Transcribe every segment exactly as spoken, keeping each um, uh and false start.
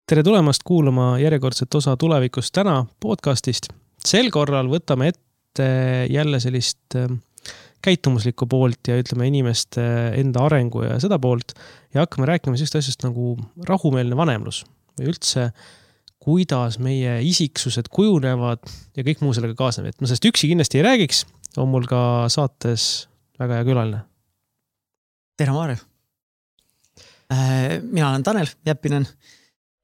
Tere tulemast kuulama järjekordset osa tulevikust täna podcastist. Sel korral võtame ette jälle sellist käitumuslikku poolt ja ütleme inimeste enda arengu ja seda poolt ja hakkame rääkima sellist asjast nagu rahumeelne vanemlus või üldse kuidas meie isiksused kujunevad ja kõik muu sellega kaasneb. Et ma sellest üksi kindlasti ei räägiks, on mul ka saates väga hea külaline. Tere Maarja! Mina olen Tanel Jeppinen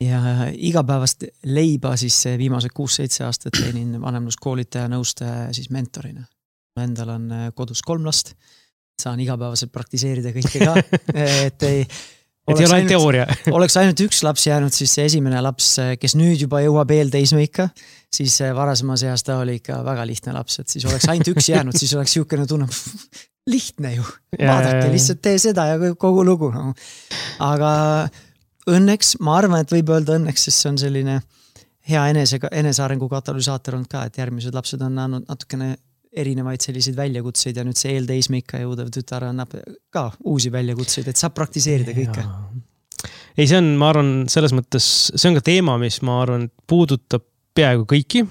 ja igapäevast leiba siis viimased kuus-seitse aastat teenin vanemluskoolitaja, nõustaja ja siis mentorina. Endal on kodus kolm last, saan igapäevaselt praktiseerida kõike ka, et ei, et ei ole ainult teooria. Oleks ainult üks laps jäänud, siis see esimene laps, kes nüüd juba jõuab eelteismeikka, siis varasemas eas ta oli ikka väga lihtne laps, et siis oleks ainult üks jäänud, siis oleks siukene tunne, lihtne ju, vaadake, lihtsalt tee seda ja kogu lugu. No. Aga õnneks, ma arvan, et võib öelda õnneks, sest see on selline hea enese, enesearengu katalüsaator olnud ka, et järgmised lapsed on andnud natukene erinevaid selliseid väljakutseid ja nüüd see eelteismeikka jõudev tütar annab ka uusi väljakutseid, et saab praktiseerida kõike. Ei, see on, ma arvan, selles mõttes, see on ka teema, mis ma arvan, puudutab peaaegu kõiki,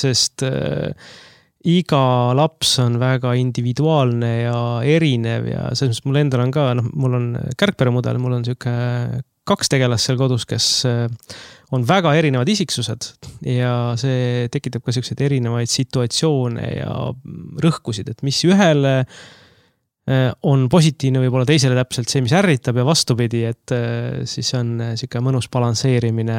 sest äh, iga laps on väga individuaalne ja erinev ja selles mõttes mul endal on ka, noh, mul on kärgperemudel, mul on siuke kaks tegelast seal kodus, kes on väga erinevad isiksused ja see tekitab ka selliseid erinevaid situatsioone ja rõhkusid, et mis ühele on positiivne võib-olla teisele täpselt see, mis ärritab ja vastupidi, et siis on siuke mõnus balansseerimine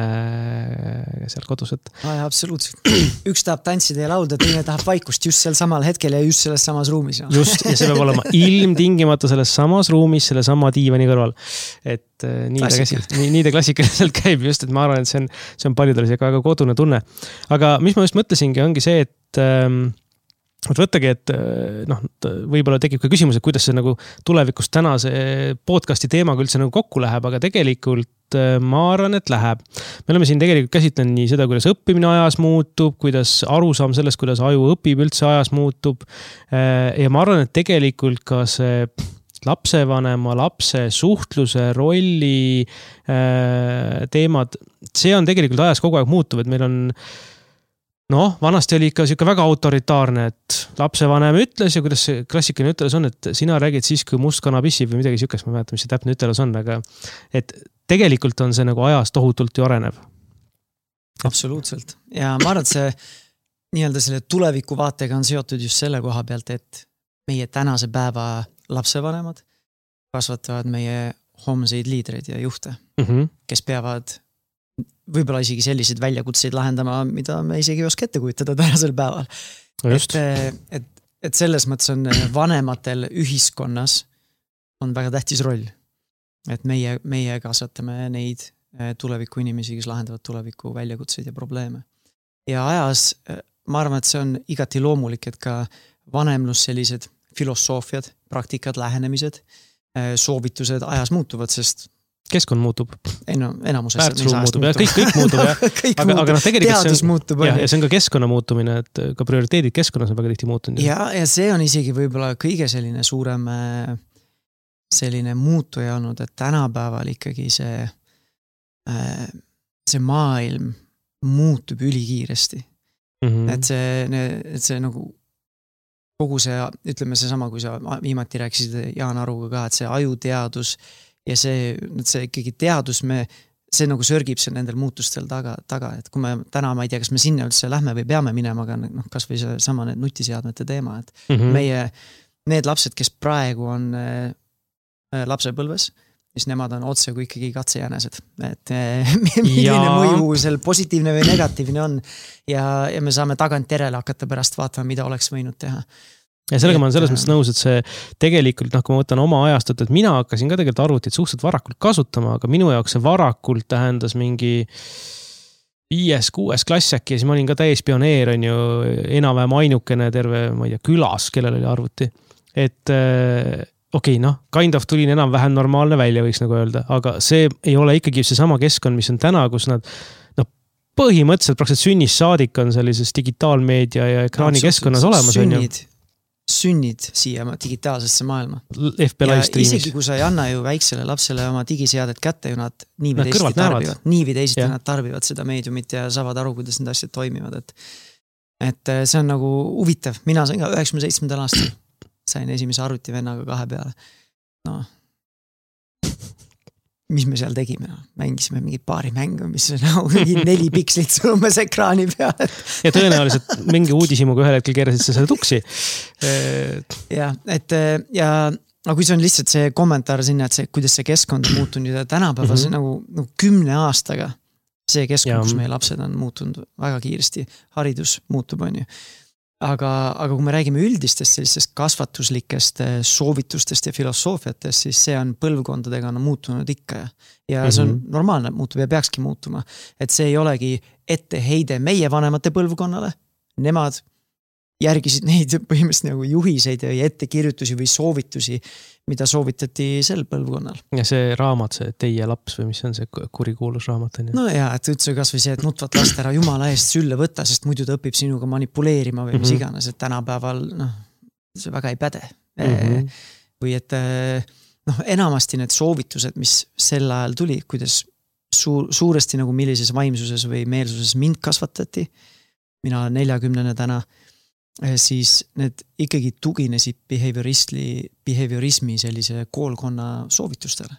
seal kodus. Et... Ah, absoluutselt. Üks tahab tantsida ja laulda, teine tahab vaikust just sel samal hetkel ja just selles samas ruumis. No. Just, ja see peab olema ilmtingimata selles samas ruumis, selle sama diivani kõrval. Et nii ta, käsi, nii, nii ta klassikaliselt käib just, et ma arvan, et see on, see on paljudel see väga kodune tunne. Aga mis ma just mõtlesingi, ongi see, et ähm, võttagi, et noh, võib-olla tekib ka küsimus, et kuidas see nagu tulevikus täna see podcasti teemaga üldse nagu kokku läheb, aga tegelikult ma arvan, et läheb. Me oleme siin tegelikult käsitlenud nii seda, kuidas õppimine ajas muutub, kuidas arusaam sellest, kuidas aju õpib üldse ajas muutub. Ja ma arvan, et tegelikult ka see lapsevanema, lapse suhtluse, rolli teemad, see on tegelikult ajas kogu aeg muutuv, et meil on noh, vanasti oli ikka siuke väga autoritaarne, et lapsevanem ütles ja kuidas see klassikaline ütelus on, et sina räägid siis, kui must kana pissib või midagi siukest, ma mäletan, mis see täpne ütelus on, aga et tegelikult on see nagu ajas tohutult ju areneb. Absoluutselt. Ja ma arvan, et see nii-öelda selle tuleviku vaatega on seotud just selle koha pealt, et meie tänase päeva lapsevanemad kasvatavad meie homseid liidreid ja juhte, mm-hmm. kes peavad võib-olla isegi selliseid väljakutseid lahendama, mida me isegi ei oska ette kujutada tänasel päeval. Et, et, et selles mõttes on vanematel ühiskonnas on väga tähtis roll. Et meie, meie kasvatame neid tuleviku inimesi, kes lahendavad tuleviku väljakutseid ja probleeme. Ja ajas, ma arvan, et see on igati loomulik, et ka vanemlus sellised filosoofiad, praktikad, lähenemised, soovitused ajas muutuvad, sest keskkond muutub. Ei no, enamuses. Väärtusruum muutub ja kõik, kõik muutub. Ja. kõik aga, aga no, teadus on, muutub. Ja, ja see on ka keskkonna muutumine, et ka prioriteedid keskkonnas on väga tihti muutunud. Ja, ja see on isegi võib-olla kõige selline suurem selline muutuja olnud, et tänapäeval ikkagi see, see maailm muutub ülikiiresti. Mm-hmm. Et see, et see nagu kogu see, ütleme see sama, kui sa viimati rääkisid Jaan Aruga ka, et see ajuteadus ja see, see ikkagi teadus, me, see nagu sörgib see nendel muutustel taga, taga, et kui me täna, ma ei tea, kas me sinna üldse lähme või peame minema, aga noh, kas või see sama need nutiseadmete teema, et mm-hmm. meie, need lapsed, kes praegu on äh, lapsepõlves, siis nemad on otse kui ikkagi katsejänesed, et äh, milline mõju seal positiivne või negatiivne on ja, ja me saame tagant järele hakata pärast vaatama, mida oleks võinud teha. Ja sellega ma olen selles mõttes nõus, et see tegelikult, noh, kui ma võtan oma ajastut, et mina hakkasin ka tegelikult arvutit suhteliselt varakult kasutama, aga minu jaoks see varakult tähendas mingi viies, kuues klass äkki ja siis ma olin ka täis pioneer, on ju, enam-vähem ainukene terve, ma ei tea, külas, kellel oli arvuti. Et okei, okay, noh, kind of tulin enam-vähem normaalne välja, võiks nagu öelda, aga see ei ole ikkagi see sama keskkond, mis on täna, kus nad noh, põhimõtteliselt praktiliselt sünnis saadik on sellises digitaalmeedia ja ekraani keskkonnas olemas. Sünnid. sünnid siia digitaalsesse maailma. F B live streamis. Isegi kui sa ei anna ju väiksele lapsele oma digiseadet kätte ju nad nii või teisiti tarbivad. Nii või teisiti nad tarbivad seda meediumit ja saavad aru, kuidas need asjad toimivad. Et, et see on nagu huvitav. Mina sain ka üheksakümne seitsmendal aastal. Sain esimese arvutivennaga kahe peale. No, mis me seal tegime? Mängisime mingi paari mängu, mis nagu neli pikslit sõlumes ekraani peale. Ja tõenäoliselt mingi uudishimuga ühel hetkel keerasid sa selle tuksi. Ja, et ja no kui see on lihtsalt see kommentaar sinna, et see, kuidas see keskkond on muutunud ja tänapäeva mm-hmm. nagu, nagu kümne aastaga see keskkond, kus meie lapsed on muutunud väga kiiresti, haridus muutub, on ju. Aga, aga kui me räägime üldistest sellistest kasvatuslikest soovitustest ja filosoofiatest, siis see on põlvkondadega on muutunud ikka ja, ja see on mm-hmm. normaalne muutub ja peakski muutuma. Et see ei olegi etteheide meie vanemate põlvkonnale. Nemad järgisid neid põhimõtteliselt nagu juhiseid ja ettekirjutusi või soovitusi, mida soovitati sel põlvkonnal. Ja see raamat, see Teie laps või mis on see kurikuulus raamat? On ju? No jaa, et üldse kas või see, et nutvat last ära jumala eest sülle võtta, sest muidu ta õpib sinuga manipuleerima või mis mm-hmm. iganes, et tänapäeval noh, see väga ei päde. Mm-hmm. Või et noh, enamasti need soovitused, mis sel ajal tuli, kuidas suur, suuresti nagu millises vaimsuses või meelsuses mind kasvatati, mina olen neljakümnene täna, siis need ikkagi tuginesid behaviorismi sellise koolkonna soovitustele,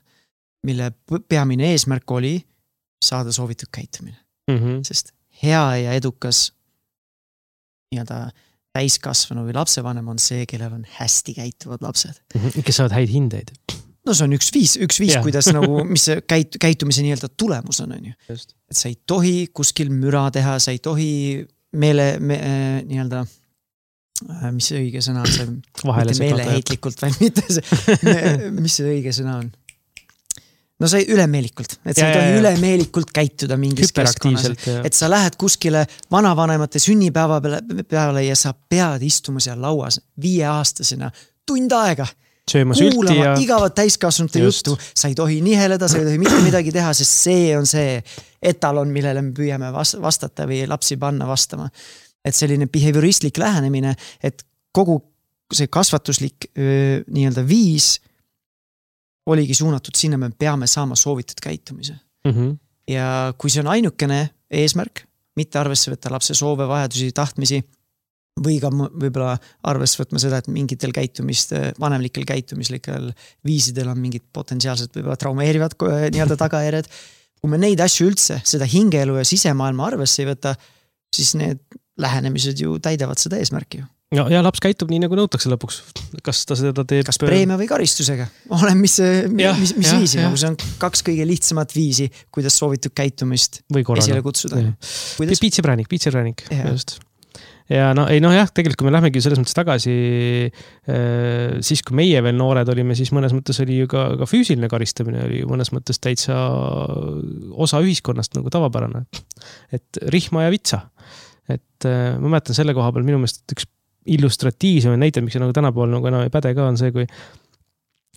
mille peamine eesmärk oli saada soovitud käitumine. Mm-hmm. Sest hea ja edukas nii-öelda täiskasvanu või lapsevanem on see, kellel on hästi käituvad lapsed. Mm-hmm. Kes saavad häid hindeid. No see on üks viis, üks viis, yeah. kuidas nagu, mis see käit, käitumise nii-öelda tulemus on, on ju. Just. Et sa ei tohi kuskil müra teha, sa ei tohi meele, me, nii-öelda mis see õige sõna on see, mitte meeleheitlikult, või mitte see, mis see õige sõna on? No see ülemeelikult, et sa ei tohi ülemeelikult käituda mingis keskkonnas, et sa lähed kuskile vanavanemate sünnipäeva peale ja sa pead istuma seal lauas viieaastasena tund aega, kuulama ja... igavat täiskasvanute juttu, sa ei tohi niheleda, sa ei tohi mitte midagi teha, sest see on see etalon, millele me püüame vastata või lapsi panna vastama. Et selline behavioristlik lähenemine, et kogu see kasvatuslik öö, nii-öelda viis oligi suunatud sinna, me peame saama soovitud käitumise. Mm-hmm. Ja kui see on ainukene eesmärk, mitte arvesse võtta lapse soove, vajadusi, tahtmisi, või ka võib-olla arvesse võtma seda, et mingitel käitumist, vanemlikel käitumislikel viisidel on mingid potentsiaalselt võib-olla traumeerivad nii-öelda tagajärjed. Kui me neid asju üldse, seda hingeelu ja sisemaailma arvesse ei võta, siis need lähenemised ju täidavad seda eesmärki ju. Ja, ja laps käitub nii, nagu nõutakse lõpuks. Kas ta seda teeb... Kas preemia või karistusega? Olen, mis, ja, mis, mis ja, viisi? Ja. Nagu see on kaks kõige lihtsamat viisi, kuidas soovitud käitumist esile kutsuda. Kuidas... Piitsipränik, piitsipränik. Just. Ja no, ei, no jah, tegelikult kui me lähmegi selles mõttes tagasi, siis kui meie veel noored olime, siis mõnes mõttes oli ju ka, ka füüsiline karistamine, oli mõnes mõttes täitsa osa ühiskonnast nagu tavapärane. Et rihma ja vitsa. Et ma mäletan selle koha peal minu meelest üks illustratiivsem näite, miks see nagu tänapäeval nagu enam ei päde ka, on see, kui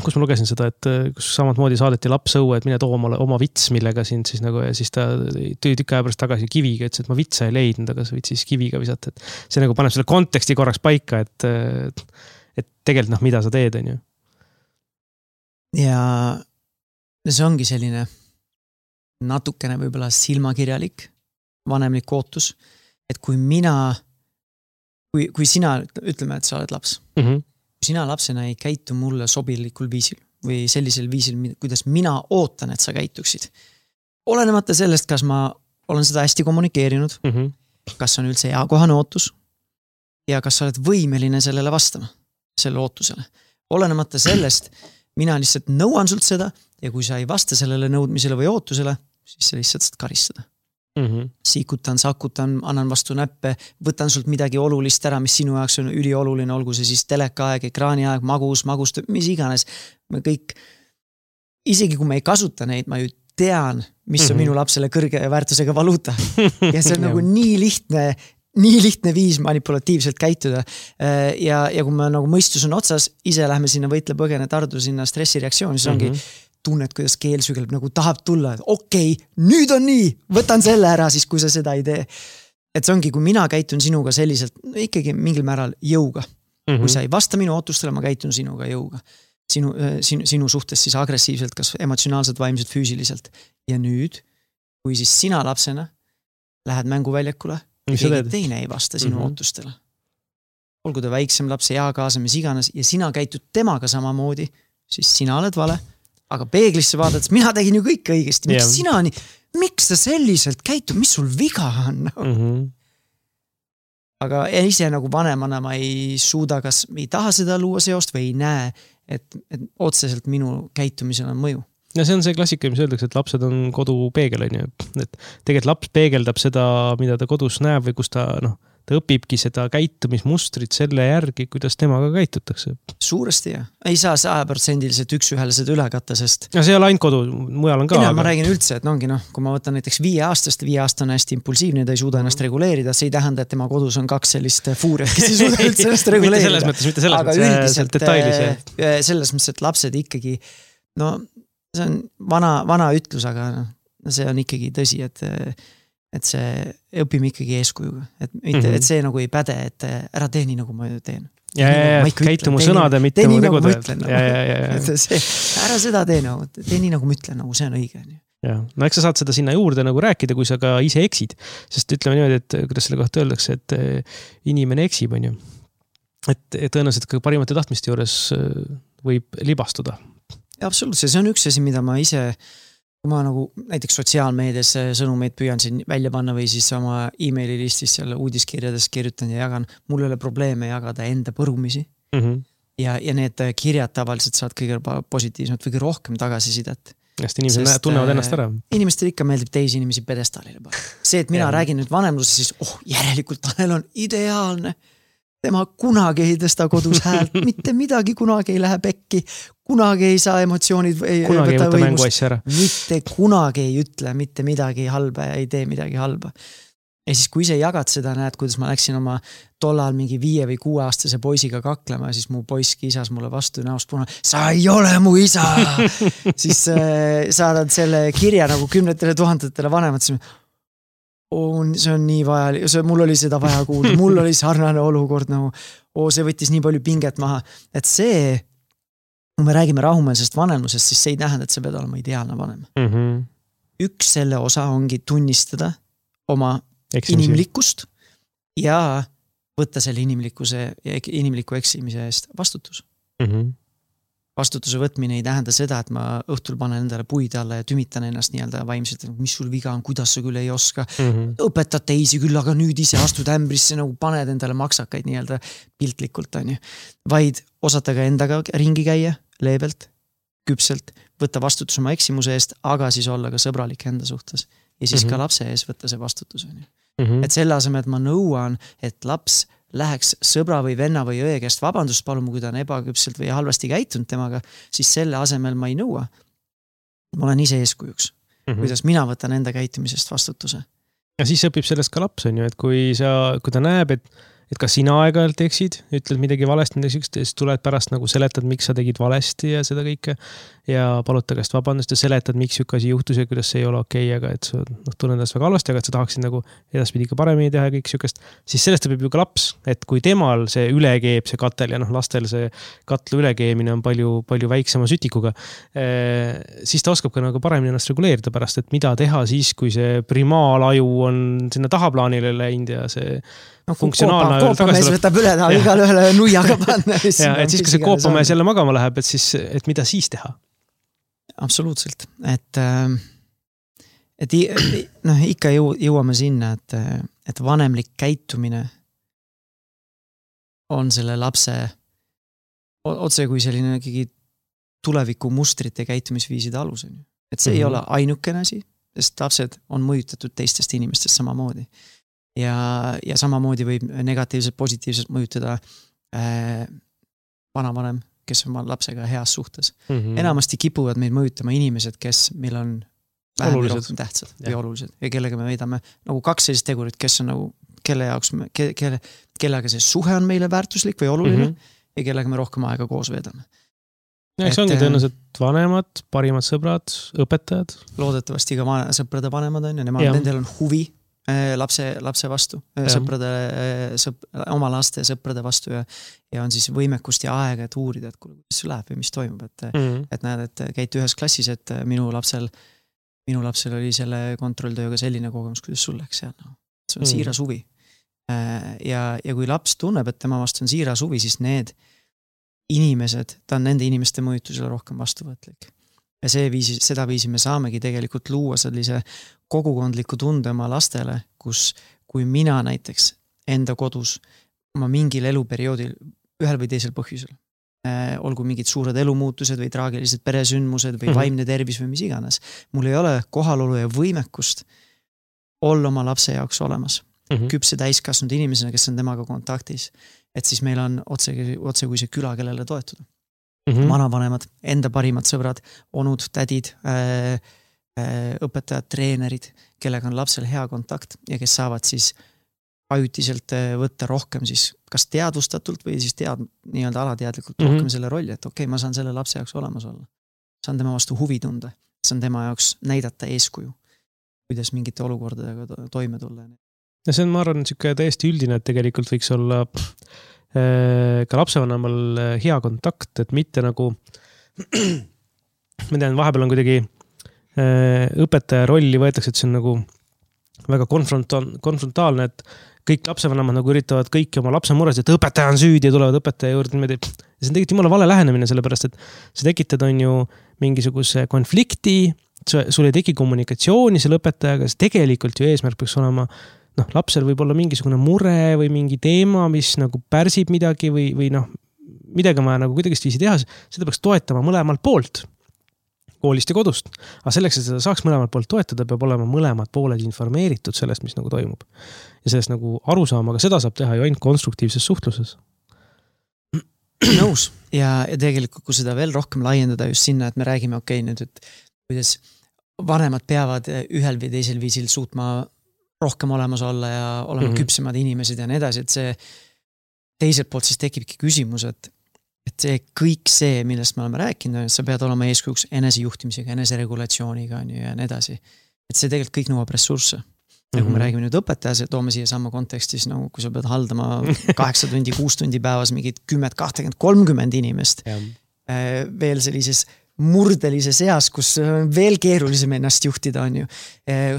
kus ma lugesin seda, et kus samad moodi saadeti laps õue, et mine too oma, oma vits, millega sind siis nagu, ja siis ta tõi tükk aja pärast tagasi kiviga, ütles, et ma vitsa ei leidnud, aga sa võid siis kiviga visata. Et see nagu paneb selle konteksti korraks paika, et, et tegelikult noh, mida sa teed, on ju. Ja see ongi selline natukene võib-olla silmakirjalik vanemlik ootus, et kui mina, kui, kui sina ütleme, et sa oled laps, mm-hmm. kui sina lapsena ei käitu mulle sobilikul viisil või sellisel viisil, kuidas mina ootan, et sa käituksid. Olenemata sellest, kas ma olen seda hästi kommunikeerinud, mm-hmm. kas on üldse eakohane ootus ja kas sa oled võimeline sellele vastama, selle ootusele. Olenemata sellest, mina lihtsalt nõuan sult seda ja kui sa ei vasta sellele nõudmisele või ootusele, siis sa lihtsalt saad karistada. Mm-hmm. Siikutan, sakutan, annan vastu näppe, võtan sult midagi olulist ära, mis sinu jaoks on ülioluline, olgu see siis telekaaeg, ekraaniaeg, magus, magust, mis iganes. Me kõik, isegi kui me ei kasuta neid, ma ju tean, mis on mm-hmm. minu lapsele kõrge väärtusega valuuta. Ja see on nagu nii lihtne, nii lihtne viis manipulatiivselt käituda. Ja, ja kui me nagu mõistus on otsas, ise lähme sinna võitle põgene tardu sinna stressireaktsiooni, siis ongi mm-hmm. tunned, kuidas keel sügeleb, nagu tahab tulla, et okei, okay, nüüd on nii, võtan selle ära siis, kui sa seda ei tee. Et see ongi, kui mina käitun sinuga selliselt, no ikkagi mingil määral jõuga, -hmm. Kui sa ei vasta minu ootustele, ma käitun sinuga jõuga. Sinu, sinu, sinu suhtes siis agressiivselt, kas emotsionaalselt, vaimselt, füüsiliselt. Ja nüüd, kui siis sina lapsena lähed mänguväljakule, keegi teine ei vasta sinu mm-hmm. ootustele. Olgu ta väiksem laps, eakaasa, mis iganes, ja sina käitud temaga samamoodi, siis sina oled vale, aga peeglisse vaadates, mina tegin ju kõik õigesti. Miks yeah. sina nii, miks ta selliselt käitub, mis sul viga on? Mm-hmm. Aga ise nagu vanemana ma ei suuda, kas ei taha seda luua seost või ei näe, et, et otseselt minu käitumisel on mõju. Ja see on see klassika, mis öeldakse, et lapsed on kodu peegel, on ju. Et tegelikult laps peegeldab seda, mida ta kodus näeb või kus ta, noh, ta õpibki seda käitumismustrit selle järgi, kuidas temaga käitutakse. Suuresti jah. Ei saa saja protsendiliselt üks ühele seda üle katta, sest... Ja see ei ole ainult kodu, mujal on ka. Ei, aga... Ma räägin üldse, et ongi, noh, kui ma võtan näiteks viie aastast, viie aasta on hästi impulsiivne, ta ei suuda ennast reguleerida, see ei tähenda, et tema kodus on kaks sellist fuuriat, kes ei suuda üldse ennast reguleerida. Mitte selles mõttes, mitte selles aga mõttes, üldiselt, detailis. Selles mõttes, et lapsed ikkagi, no see on vana, vana ütlus, aga no, see on ikkagi tõsi, et et see õpime ikkagi eeskujuga, et, mitte, mm -hmm. et see nagu ei päde, et ära tee nii, nagu ma teen. Ja, ja, ja, käitu mu sõnade, mitte mu tegude. Ja, ja, ja, ja. See, ära seda tee nagu, tee nii, nagu ma ütlen, nagu see on õige. Ja, no eks sa saad seda sinna juurde nagu rääkida, kui sa ka ise eksid, sest ütleme niimoodi, et kuidas selle kohta öeldakse, et inimene eksib, on ju. Et tõenäoliselt ka parimate tahtmiste juures võib libastuda. Ja, absoluutselt, see on üks asi, mida ma ise kui ma nagu näiteks sotsiaalmeedias sõnumeid püüan siin välja panna või siis oma e-maili listis seal uudiskirjades kirjutan ja jagan, mul ei ole probleeme jagada enda põrumisi mm -hmm. ja, ja need kirjad tavaliselt saad kõige positiivsemalt või kõige rohkem tagasisidet. Sest inimesed Sest, tunnevad ennast ära. Inimestel ikka meeldib teisi inimesi pedestaalile panna. See, et mina ja. räägin nüüd vanemluses, siis oh, järelikult Tanel on ideaalne. Tema kunagi ei tõsta kodus häält, mitte midagi kunagi ei lähe pekki, kunagi ei saa emotsioonid ei, kunagi ei võta mängu asja ära. Mitte kunagi ei ütle mitte midagi halba ja ei tee midagi halba. Ja siis kui ise jagad seda, näed, kuidas ma läksin oma tollal mingi viie või kuue aastase poisiga kaklema ja siis mu poiss kisas mulle vastu näost puna, sa ei ole mu isa! siis äh, saadad selle kirja nagu kümnetele tuhandetele vanemad, siis on, see on nii vajalik, see, mul oli seda vaja kuulda, mul oli sarnane olukord nagu, oo, see võttis nii palju pinget maha, et see, kui me räägime rahumeelsest vanemlusest, siis see ei tähenda, et see pead olema ideaalne vanem. Mm -hmm. Üks selle osa ongi tunnistada oma Eksimisi. inimlikkust ja võtta selle inimlikkuse ja inimliku eksimise eest vastutus. Mm -hmm. Vastutuse võtmine ei tähenda seda, et ma õhtul panen endale puid alla ja tümitan ennast nii-öelda vaimselt, mis sul viga on, kuidas sa küll ei oska. Mm -hmm. Õpetad teisi küll, aga nüüd ise astud ämbrisse, nagu paned endale maksakaid nii-öelda piltlikult, on ju. Vaid osata ka endaga ringi käia, leebelt, küpselt, võtta vastutus oma eksimuse eest, aga siis olla ka sõbralik enda suhtes. Ja siis mm -hmm. ka lapse ees võtta see vastutus, on ju. Mm -hmm. Et selle asemel, et ma nõuan, et laps läheks sõbra või venna või õe käest vabandust paluma, kui ta on ebaküpselt või halvasti käitunud temaga, siis selle asemel ma ei nõua. Ma olen ise eeskujuks, mm -hmm. kuidas mina võtan enda käitumisest vastutuse. Ja siis õpib sellest ka laps, on ju, et kui, sa, kui ta näeb, et et kas sina aeg-ajalt eksid, ütled midagi valesti, siis tuled pärast nagu seletad, miks sa tegid valesti ja seda kõike ja palud ta käest vabandust ja seletad, miks siuke asi juhtus ja kuidas see ei ole okei, aga et sa noh, tunned ennast väga halvasti, aga et sa tahaksid nagu edaspidi ka paremini teha ja kõik siukest, siis sellest õpib ju ka laps, et kui temal see ülekeeb, see katel ja noh, lastel see katlu ülekeemine on palju, palju väiksema sütikuga, siis ta oskab ka nagu paremini ennast reguleerida pärast, et mida teha siis, kui see primaalaju on sinna tahaplaanile läinud ja see no, funktsionaalne koopamees võtab üle taha igal ühele nuiaga panna. Ja, et siis, kui see koopamees jälle magama läheb, et siis, et mida siis teha? Absoluutselt, et, et noh, ikka jõuame sinna, et, et vanemlik käitumine on selle lapse otse kui selline tuleviku mustrite käitumisviiside alus. Et see mm-hmm. ei ole ainukene asi, sest lapsed on mõjutatud teistest inimestest samamoodi. Ja, ja samamoodi võib negatiivselt, positiivselt mõjutada äh, vanavanem, kes on lapsega heas suhtes. Mm-hmm. Enamasti kipuvad meid mõjutama inimesed, kes meil on vähem või rohkem tähtsad ja. Või olulised ja kellega me veidame nagu kaks sellist tegurit, kes on nagu, kelle jaoks, me, ke, kelle, kellega see suhe on meile väärtuslik või oluline mm-hmm. ja kellega me rohkem aega koos veedame. Ja, eks ongi tõenäoliselt vanemad, parimad sõbrad, õpetajad. Loodetavasti ka van- sõprade vanemad on ja nemad, nendel on huvi lapse, lapse vastu, sõprade, sõp, oma laste sõprade vastu ja, ja on siis võimekust ja aega, et uurida, et kuidas läheb või mis toimub, et, mm. et näed, et käid ühes klassis, et minu lapsel, minu lapsel oli selle kontrolltööga selline kogemus, kuidas sul läks seal, no. See on mm. siiras huvi. Ja, ja kui laps tunneb, et tema vastu on siiras huvi, siis need inimesed, ta on nende inimeste mõjutusele rohkem vastuvõtlik. Ja see viisi, seda viisi me saamegi tegelikult luua sellise kogukondliku tunde oma lastele, kus kui mina näiteks enda kodus oma mingil eluperioodil ühel või teisel põhjusel, äh, olgu mingid suured elumuutused või traagilised peresündmused või mm-hmm. vaimne tervis või mis iganes, mul ei ole kohalolu ja võimekust olla oma lapse jaoks olemas. Mm-hmm. Küpse täiskasnud inimesena, kes on temaga kontaktis, et siis meil on otse, otse kui see küla, kellele toetuda. Mm-hmm. Vanavanemad, enda parimad sõbrad, onud, tädid, äh, äh, õpetajad, treenerid, kellega on lapsel hea kontakt ja kes saavad siis ajutiselt võtta rohkem siis kas teadvustatult või siis tead, nii-öelda alateadlikult mm-hmm. rohkem selle rolli, et okei, okay, ma saan selle lapse jaoks olemas olla. Saan tema vastu huvi tunda, saan tema jaoks näidata eeskuju, kuidas mingite olukordadega toime tulla. Ja see on, ma arvan, niisugune täiesti üldine, et tegelikult võiks olla äh, ka lapsevanemal hea kontakt, et mitte nagu ma tean, vahepeal on kuidagi äh, õpetaja rolli võetakse, et see on nagu väga konfronta- konfrontaalne, et kõik lapsevanemad nagu üritavad kõiki oma lapse mures, et õpetaja on süüdi ja tulevad õpetaja juurde niimoodi. Ja see on tegelikult jumala vale lähenemine, sellepärast, et sa tekitad on ju mingisuguse konflikti, sul ei teki kommunikatsiooni selle õpetajaga, see tegelikult ju eesmärk peaks olema noh, lapsel võib olla mingisugune mure või mingi teema, mis nagu pärsib midagi või, või noh, midagi on vaja nagu kuidagist viisi teha, seda peaks toetama mõlemalt poolt, koolist ja kodust. Aga selleks, et seda saaks mõlemalt poolt toetada, peab olema mõlemad pooled informeeritud sellest, mis nagu toimub. Ja sellest nagu aru saama, aga seda saab teha ju ainult konstruktiivses suhtluses. Nõus. Ja, ja tegelikult, kui seda veel rohkem laiendada just sinna, et me räägime, okei, nüüd, et kuidas vanemad peavad ühel või teisel viisil suutma rohkem olemas olla ja olema mm-hmm. küpsemad inimesed ja nii edasi, et see teiselt poolt siis tekibki küsimus, et, et see kõik see, millest me oleme rääkinud, et sa pead olema eeskujuks enesejuhtimisega, eneseregulatsiooniga ja nii edasi. Et see tegelikult kõik nõuab ressursse. Ja kui me mm-hmm. räägime nüüd õpetajas, et toome siia sama kontekstis, nagu kui sa pead haldama kaheksa tundi, kuus tundi päevas mingid kümmet, kakskümmend, kolmkümmend inimest, yeah. veel sellises murdelises eas, kus veel keerulisem ennast juhtida on ju.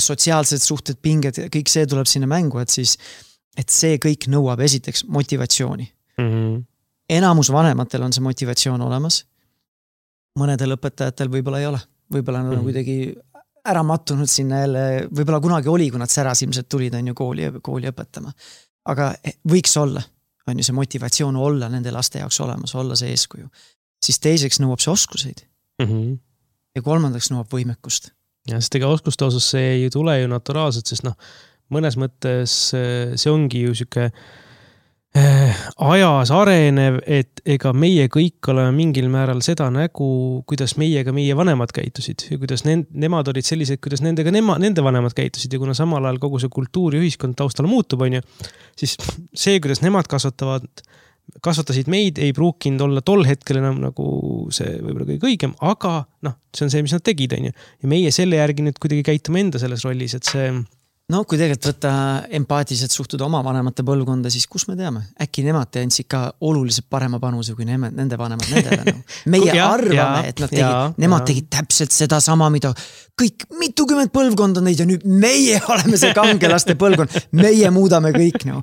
Sotsiaalsed suhted, pinged, kõik see tuleb sinna mängu, et siis, et see kõik nõuab esiteks motivatsiooni. Mm-hmm. Enamus vanematel on see motivatsioon olemas. Mõnedel õpetajatel võib-olla ei ole. Võib-olla nad on mm-hmm. kuidagi ära mattunud sinna jälle, võib-olla kunagi oli, kui nad säras ilmselt tulid on ju kooli, kooli õpetama. Aga võiks olla, on ju see motivatsioon olla nende laste jaoks olemas, olla see eeskuju. Siis teiseks nõuab see oskuseid. Mm-hmm. Ja kolmandaks nõuab võimekust. Ja sest ega oskuste osas see ei tule ju naturaalselt, sest noh, mõnes mõttes see ongi ju siuke äh, ajas arenev, et ega meie kõik oleme mingil määral seda nägu, kuidas meiega meie vanemad käitusid ja kuidas ne- nemad olid sellised, kuidas nendega nema, nende vanemad käitusid ja kuna samal ajal kogu see kultuur ja ühiskond taustal muutub, on ju, siis see, kuidas nemad kasvatavad kasvatasid meid, ei pruukinud olla tol hetkel enam nagu see võib-olla kõige õigem, aga noh, see on see, mis nad tegid, on ju. Ja meie selle järgi nüüd kuidagi käitume enda selles rollis, et see no kui tegelikult võtta empaatiliselt suhtuda oma vanemate põlvkonda, siis kus me teame? Äkki nemad andsid ka oluliselt parema panuse kui nemad, nende vanemad nendele. No. Meie ja, arvame, ja, et nad tegid, ja, nemad ja. tegid täpselt seda sama, mida kõik mitukümmend põlvkond on neid ja nüüd meie oleme see kangelaste põlvkond. Meie muudame kõik. No.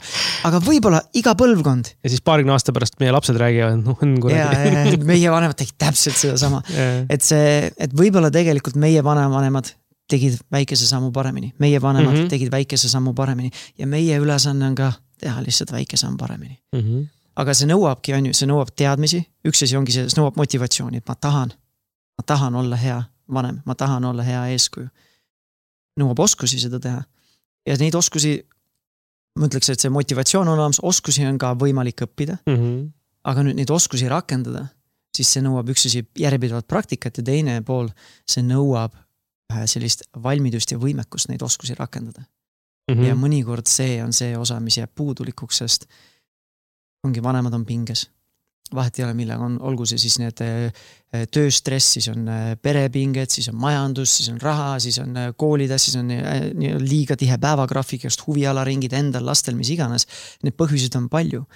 Aga võib-olla iga põlvkond. Ja siis paarikümne aasta pärast meie lapsed räägivad, noh, on kuradi. Ja, meie vanemad tegid täpselt seda sama. Et see, et võib-olla tegelikult meie vanemad tegid väikese sammu paremini. Meie vanemad mm-hmm. tegid väikese sammu paremini. Ja meie ülesanne on ka teha lihtsalt väike samm paremini. Mm-hmm. Aga see nõuabki, on ju, see nõuab teadmisi. Üks asi ongi see, see nõuab motivatsiooni, et ma tahan, ma tahan olla hea vanem, ma tahan olla hea eeskuju. Nõuab oskusi seda teha. Ja neid oskusi, ma ütleks, et see motivatsioon on olemas, oskusi on ka võimalik õppida. Mm-hmm. Aga nüüd neid oskusi rakendada, siis see nõuab üks asi järjepidevat praktikat ja teine pool, see nõuab sellist valmidust ja võimekust neid oskusi rakendada. Mm-hmm. Ja mõnikord see on see osa, mis jääb puudulikuks, sest ongi vanemad on pinges. vahet ei ole millega on, olgu see siis need tööstress, siis on perepinged, siis on majandus, siis on raha, siis on koolid, siis on liiga tihe päevagraafik, just huvialaringid endal, lastel, mis iganes. Need põhjused on palju,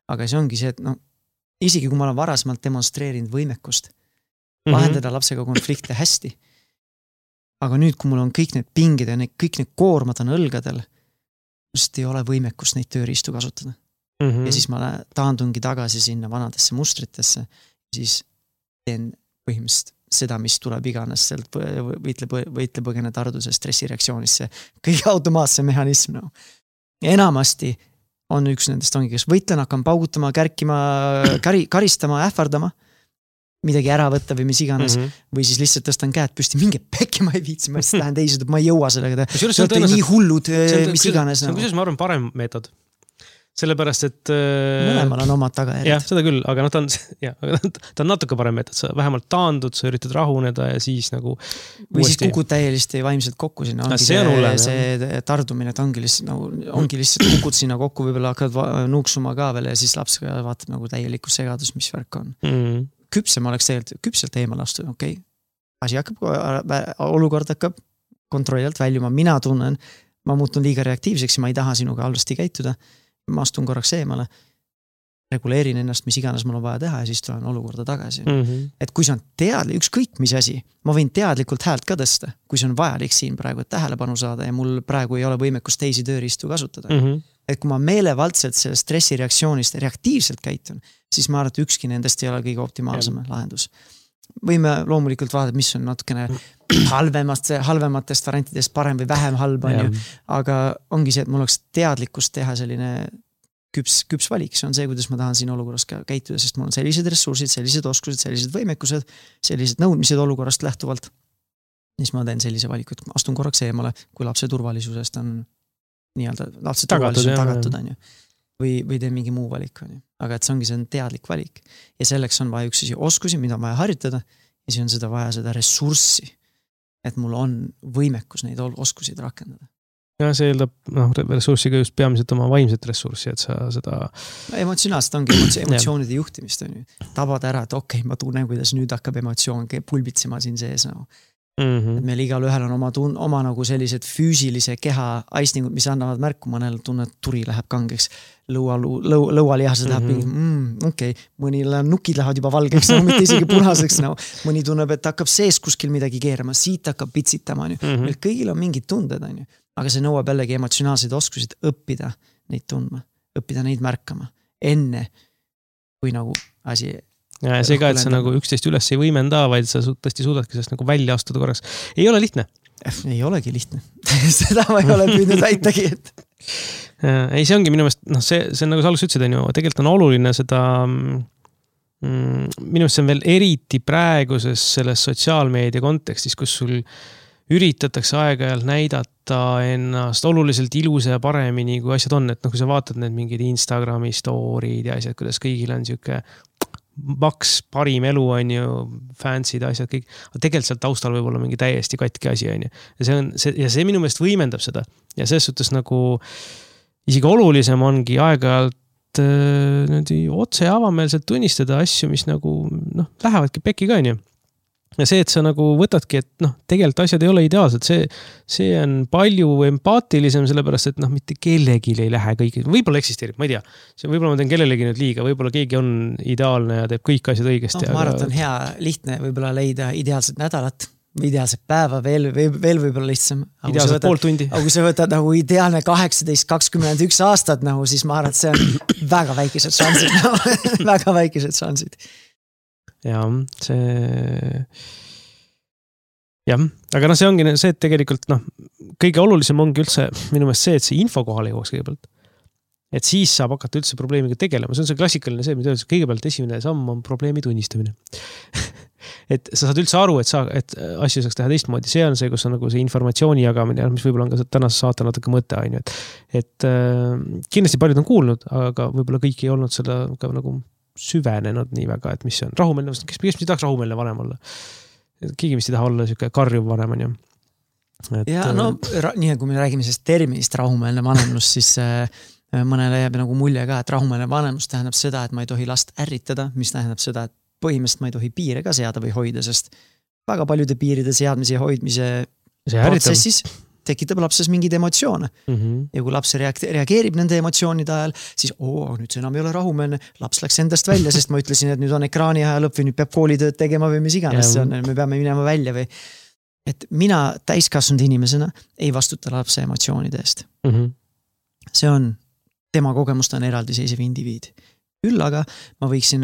aga see ongi see, et no, isegi kui ma olen varasemalt demonstreerinud võimekust, vahendada mm-hmm. lapsega konflikte hästi, aga nüüd, kui mul on kõik need pingid ja need, kõik need koormad on õlgadel, just ei ole võimekust neid tööriistu kasutada. Mm-hmm. Ja siis ma taandungi tagasi sinna vanadesse mustritesse, siis teen põhimõtteliselt seda, mis tuleb iganes sealt võitle, võitle põgene tarduse stressireaktsioonisse. Kõige automaatse mehhanism. No. Ja enamasti on üks nendest ongi, kes võitlen, hakkan paugutama, kärkima, kari, karistama, ähvardama, midagi ära võtta või mis iganes, mm-hmm. või siis lihtsalt tõstan käed püsti, mingi pekki ma ei viitsi, ma lihtsalt lähen teised, ma ei jõua sellega. See on nii hullud, mis iganes. See on kusjuures, ma arvan, parem meetod. Sellepärast, et... Mõlemal on omad tagajärjed. Jah, seda küll, aga noh, ta on, ja, ta on natuke parem meetod. Sa vähemalt taandud, sa üritad rahuneda ja siis nagu... Või uuesti... siis kukud täielisti vaimselt kokku sinna. Ongi see, see, see tardumine, et ongi lihtsalt, nagu, ongi lihtsalt kukud sinna kokku, võib-olla hakkad nuuksuma ka veel ja siis laps vaatab nagu täieliku segadus, mis värk on. Mm. Küpsem oleks tegelikult, küpselt eemal astuda, okei. Okay. Asi hakkab, olukord hakkab kontrollilt väljuma. Mina tunnen, ma muutun liiga reaktiivseks ja ma ei taha sinuga halvasti käituda. Ma astun korraks eemale, reguleerin ennast, mis iganes mul on vaja teha ja siis tulen olukorda tagasi. Mm-hmm. Et kui see on teadlik, ükskõik mis asi, ma võin teadlikult häält ka tõsta, kui see on vajalik siin praegu, et tähelepanu saada ja mul praegu ei ole võimekust teisi tööriistu kasutada. Mm-hmm. Et kui ma meelevaldselt selle stressireaktsioonist reaktiivselt käitun, siis ma arvan, et ükski nendest ei ole kõige optimaalsem ja. Lahendus. Võime loomulikult vaadata, mis on natukene halvemast, halvematest variantidest parem või vähem halb on ju, aga ongi see, et mul oleks teadlikkust teha selline küps, küps valik, see on see, kuidas ma tahan siin olukorras käituda, sest mul on sellised ressursid, sellised oskused, sellised võimekused, sellised nõudmised olukorrast lähtuvalt. Siis ma teen sellise valiku, et astun korraks eemale, kui lapse turvalisusest on nii-öelda, lapse turvalisus on tagatud, on ju. Või, või teen mingi muu valik, on ju. Aga et see ongi see on teadlik valik. Ja selleks on vaja üks oskusi, mida on vaja harjutada, ja siis on seda vaja seda ressurssi, et mul on võimekus neid oskusid rakendada. Ja see eeldab no, ressurssiga just peamiselt oma vaimset ressurssi, et sa seda... Emotsionaalselt ongi emotsioonide juhtimist, on ju. Tabad ära, et okei, okay, ma tunnen, kuidas nüüd hakkab emotsioon pulbitsema siin sees. No. Mm-hmm. Et meil igal ühel on oma, tun, oma nagu sellised füüsilise keha aistingud, mis annavad märku, mõnel tunne, et turi läheb kangeks, lõua, lõu, lõualihased läheb mm-hmm. mm, okei, okay. mõni nukid lähevad juba valgeks, no, mitte isegi punaseks, no. Mõni tunneb, et hakkab sees kuskil midagi keerama, siit hakkab pitsitama, on ju. Mm-hmm. Meil kõigil on mingid tunded, on ju. Aga see nõuab jällegi emotsionaalseid oskusid õppida neid tundma, õppida neid märkama enne, kui nagu asi... Ja see ka, et sa nagu üksteist üles ei võimenda, vaid sa tõesti suudadki sellest nagu välja astuda korraks. Ei ole lihtne. Ei olegi lihtne. Seda ma ei ole püüdnud väitagi, et... Ei, see ongi minu meelest, noh, see, see on nagu sa alguses ütlesid, on ju, tegelikult on oluline seda, mm, minu meelest see on veel eriti praeguses selles sotsiaalmeedia kontekstis, kus sul üritatakse aeg-ajalt näidata ennast oluliselt ilusa ja paremini, kui asjad on, et noh, kui sa vaatad need mingid Instagrami story'd ja asjad, kuidas kõigil on siuke maks, parim elu on ju, fansid asjad, kõik, aga tegelikult seal taustal võib olla mingi täiesti katki asi on ju. Ja see, on, see, ja see minu meelest võimendab seda. Ja selles suhtes nagu isegi olulisem ongi aeg-ajalt äh, otse ja avameelselt tunnistada asju, mis nagu noh, lähevadki pekki ka on ju. Ja see, et sa nagu võtadki, et noh, tegelikult asjad ei ole ideaalsed, see, see on palju empaatilisem, sellepärast, et noh, mitte kellegi ei lähe kõik, võib-olla eksisteerib, ma ei tea, see võib-olla ma teen kellelegi nüüd liiga, võib-olla keegi on ideaalne ja teeb kõik asjad õigesti. No, ma arvan, et on hea, lihtne võib-olla leida ideaalset nädalat, ideaalset päeva, veel, veel võib-olla lihtsam. Ideaalset pool tundi. Aga kui sa võtad nagu ideaalne kaheksateist kakskümmend üks aastat, nagu, siis ma arvan, et see on väga väikesed šansid, nagu, väga väikesed šansid. Ja see jah, aga noh, see ongi see, et tegelikult noh, kõige olulisem ongi üldse minu meelest see, et see info kohale jõuaks kõigepealt. Et siis saab hakata üldse probleemiga tegelema. See on see klassikaline see, mida öeldakse, kõigepealt esimene samm on probleemi tunnistamine. Et sa saad üldse aru, et, sa, et asju saaks teha teistmoodi. See on see, kus on nagu see informatsiooni jagamine, mis võib-olla on ka tänase saate natuke mõte, on ju. Et, et äh, kindlasti paljud on kuulnud, aga võib-olla kõik ei olnud seda ka nagu süvenenud nii väga, et mis see on rahumeelne, kes, kes mis tahaks rahumeelne vanem olla? Keegi mis ei taha olla siuke karjuv vanem on ju. Et, ja no, ra- nii kui me räägime sellest terminist rahumeelne vanemlus, siis äh, mõnele jääb nagu mulje ka, et rahumeelne vanemus tähendab seda, et ma ei tohi last ärritada, mis tähendab seda, et põhimõtteliselt ma ei tohi piire ka seada või hoida, sest väga paljude piiride seadmise ja hoidmise protsessis tekitab lapses mingeid emotsioone. Mm -hmm. Ja kui laps reageerib nende emotsioonide ajal, siis oo, nüüd see enam ei ole rahumeelne, laps läks endast välja, sest ma ütlesin, et nüüd on ekraani aja lõpp või nüüd peab koolitööd tegema või mis iganes see on, me peame minema välja või et mina täiskasvanud inimesena ei vastuta lapse emotsioonide eest. Mm -hmm. See on, tema kogemust on eraldiseisev indiviid. Küll aga ma võiksin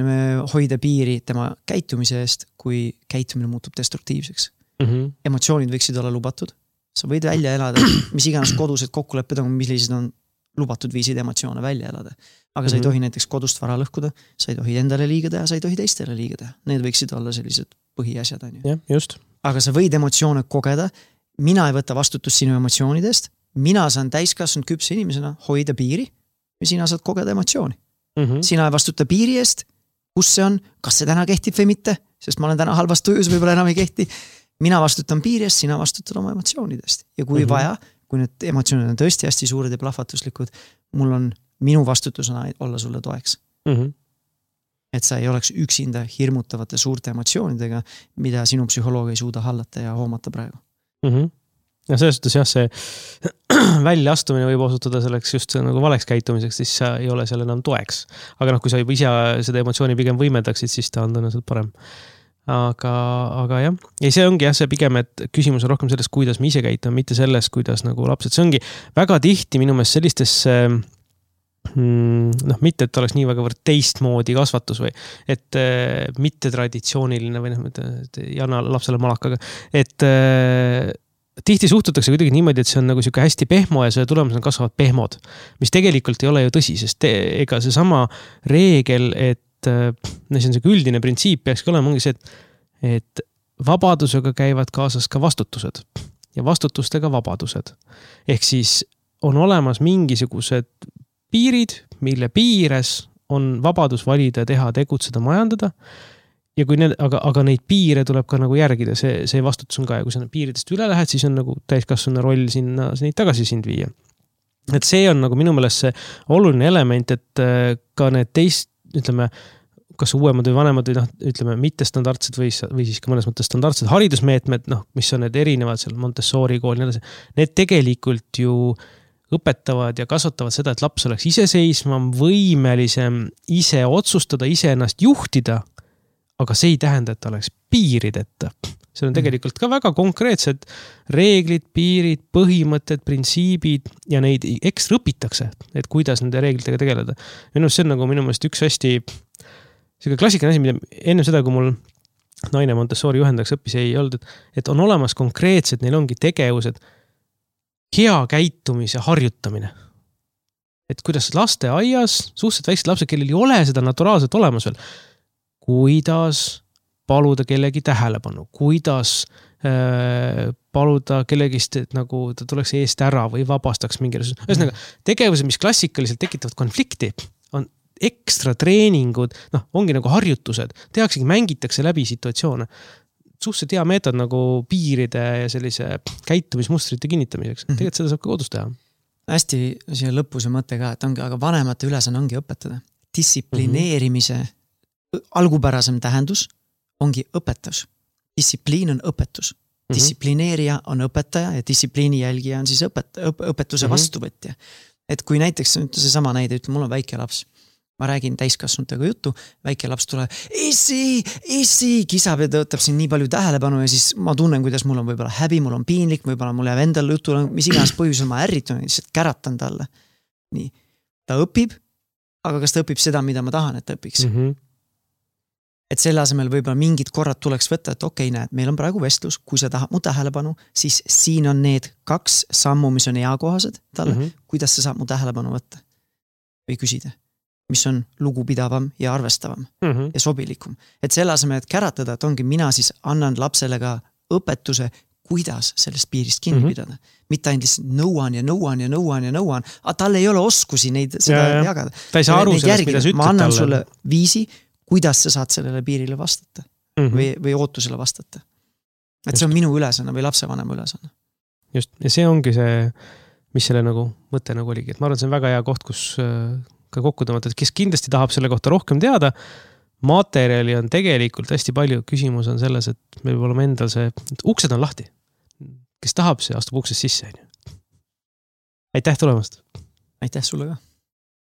hoida piiri tema käitumise eest, kui käitumine muutub destruktiivseks. Mm -hmm. Emotsioonid võiksid olla lubatud. Sa võid välja elada, mis iganes kodused kokkulepped on, millised on lubatud viisid emotsioone välja elada. Aga mm-hmm. sa ei tohi näiteks kodust vara lõhkuda, sa ei tohi endale liiga teha, sa ei tohi teistele liiga teha. Need võiksid olla sellised põhiasjad. On ju. Ja, just. Aga sa võid emotsioone kogeda, mina ei võta vastutust sinu emotsioonidest, mina saan täiskasvanud küpse inimesena hoida piiri ja sina saad kogeda emotsiooni. Mm-hmm. Sina ei vastuta piiri eest, kus see on, kas see täna kehtib või mitte, sest ma olen täna halvas tujus, võib-olla enam ei kehti. Mina vastutan piirist, sina vastutad oma emotsioonidest. Ja kui mm-hmm. vaja, kui need emotsioonid on tõesti hästi suured ja plahvatuslikud, mul on minu vastutusena olla sulle toeks. Mm-hmm. Et sa ei oleks üksinda hirmutavate suurte emotsioonidega, mida sinu psühholoog ei suuda hallata ja hoomata praegu. Mm-hmm. Ja selles suhtes jah, see väljaastumine võib osutuda selleks just nagu valeks käitumiseks, siis sa ei ole seal enam toeks. Aga noh, kui sa juba ise seda emotsiooni pigem võimendaksid, siis ta on tõenäoliselt parem. Aga, aga jah, ja see ongi jah, see pigem, et küsimus on rohkem sellest, kuidas me ise käitame, mitte sellest, kuidas nagu lapsed, see ongi väga tihti minu meelest sellistesse noh, mitte, et oleks nii väga võrd teistmoodi kasvatus või et äh, mitte traditsiooniline või noh, ei anna lapsele malakaga, et äh, tihti suhtutakse kuidagi niimoodi, et see on nagu siuke hästi pehmo ja selle tulemusena kasvavad pehmod, mis tegelikult ei ole ju tõsi, sest te, ega see sama reegel, et no see on see üldine printsiip, peakski olema ongi see, et, et vabadusega käivad kaasas ka vastutused ja vastutustega vabadused. Ehk siis on olemas mingisugused piirid, mille piires on vabadus valida, teha, tegutseda, majandada. Ja kui need, aga, aga neid piire tuleb ka nagu järgida, see, see vastutus on ka ja kui sa piiridest üle lähed, siis on nagu täiskasvanu roll sinna neid tagasi sind viia. Et see on nagu minu meelest see oluline element, et ka need teist ütleme, kas uuemad või vanemad või noh, ütleme, mitte standardsed või, või siis ka mõnes mõttes standardsed haridusmeetmed, noh, mis on need erinevad seal Montessori kool, need tegelikult ju õpetavad ja kasvatavad seda, et laps oleks iseseisvam, võimelisem ise otsustada, ise ennast juhtida, aga see ei tähenda, et ta oleks piirideta. See on tegelikult ka väga konkreetsed reeglid, piirid, põhimõtted, printsiibid ja neid ekstra õpitakse, et kuidas nende reeglitega tegeleda. Minu see on nagu minu meelest üks hästi selline klassikaline asi, mida enne seda, kui mul naine Montessori juhendaks õppis, ei olnud, et on olemas konkreetsed, neil ongi tegevused, hea käitumise harjutamine. Et kuidas laste aias, suhteliselt väiksed lapsed, kellel ei ole seda naturaalselt olemas veel, kuidas paluda kellegi tähelepanu, kuidas äh, paluda kellegist, et nagu ta tuleks eest ära või vabastaks mingi resurs. Ühesõnaga, tegevused, mis klassikaliselt tekitavad konflikti, on ekstra treeningud, noh, ongi nagu harjutused, tehaksegi, mängitakse läbi situatsioone. Suhteliselt hea meetod nagu piiride ja sellise käitumismustrite kinnitamiseks. Mm-hmm. Tegelikult seda saab ka kodus teha. Hästi siia lõpus ja mõte ka, et ongi, aga vanemate ülesanne ongi õpetada. Distsiplineerimise mm-hmm. algupärasem tähendus ongi õpetus. Distsipliin on õpetus. Distsiplineerija on õpetaja ja distsipliini jälgija on siis õpet, õp, õpetuse mm-hmm. vastuvõtja. Et kui näiteks see sama näide, ütleme, mul on väike laps, ma räägin täiskasvanutega juttu, väike laps tuleb, issi, issi, kisab ja tõotab siin nii palju tähelepanu ja siis ma tunnen, kuidas mul on võib-olla häbi, mul on piinlik, võib-olla mul jääb endal jutu, mis iganes põhjusel ma ärritun, lihtsalt käratan talle. Nii, ta õpib, aga kas ta õpib seda, mida ma tahan, et ta õpiks? Mm-hmm. Et selle asemel võib-olla mingid korrad tuleks võtta, et okei, näed, meil on praegu vestlus, kui sa tahad mu tähelepanu, siis siin on need kaks sammu, mis on eakohased talle, mm-hmm. kuidas sa saab mu tähelepanu võtta või küsida, mis on lugupidavam ja arvestavam mm-hmm. ja sobilikum. Et selle asemel, et käratada, et ongi mina siis annan lapsele ka õpetuse, kuidas sellest piirist kinni mm-hmm. pidada. Mitte ainult nõuan ja nõuan ja nõuan ja nõuan, aga tal ei ole oskusi neid seda ja, jagada. Ta ei saa aru sellest, mida sa ütled ma annan talle. Sulle viisi, kuidas sa saad sellele piirile vastata mm-hmm. või, või ootusele vastata. Et just. See on minu ülesanne või lapsevanema ülesanne. Just, ja see ongi see mis selle nagu mõte nagu oligi, et ma arvan, see on väga hea koht, kus ka kokku tõmmata, et kes kindlasti tahab selle kohta rohkem teada, materjali on tegelikult hästi palju, küsimus on selles, et meil peab olema endal see, uksed on lahti, kes tahab, see astub uksest sisse. Aitäh tulemast! Aitäh sulle ka!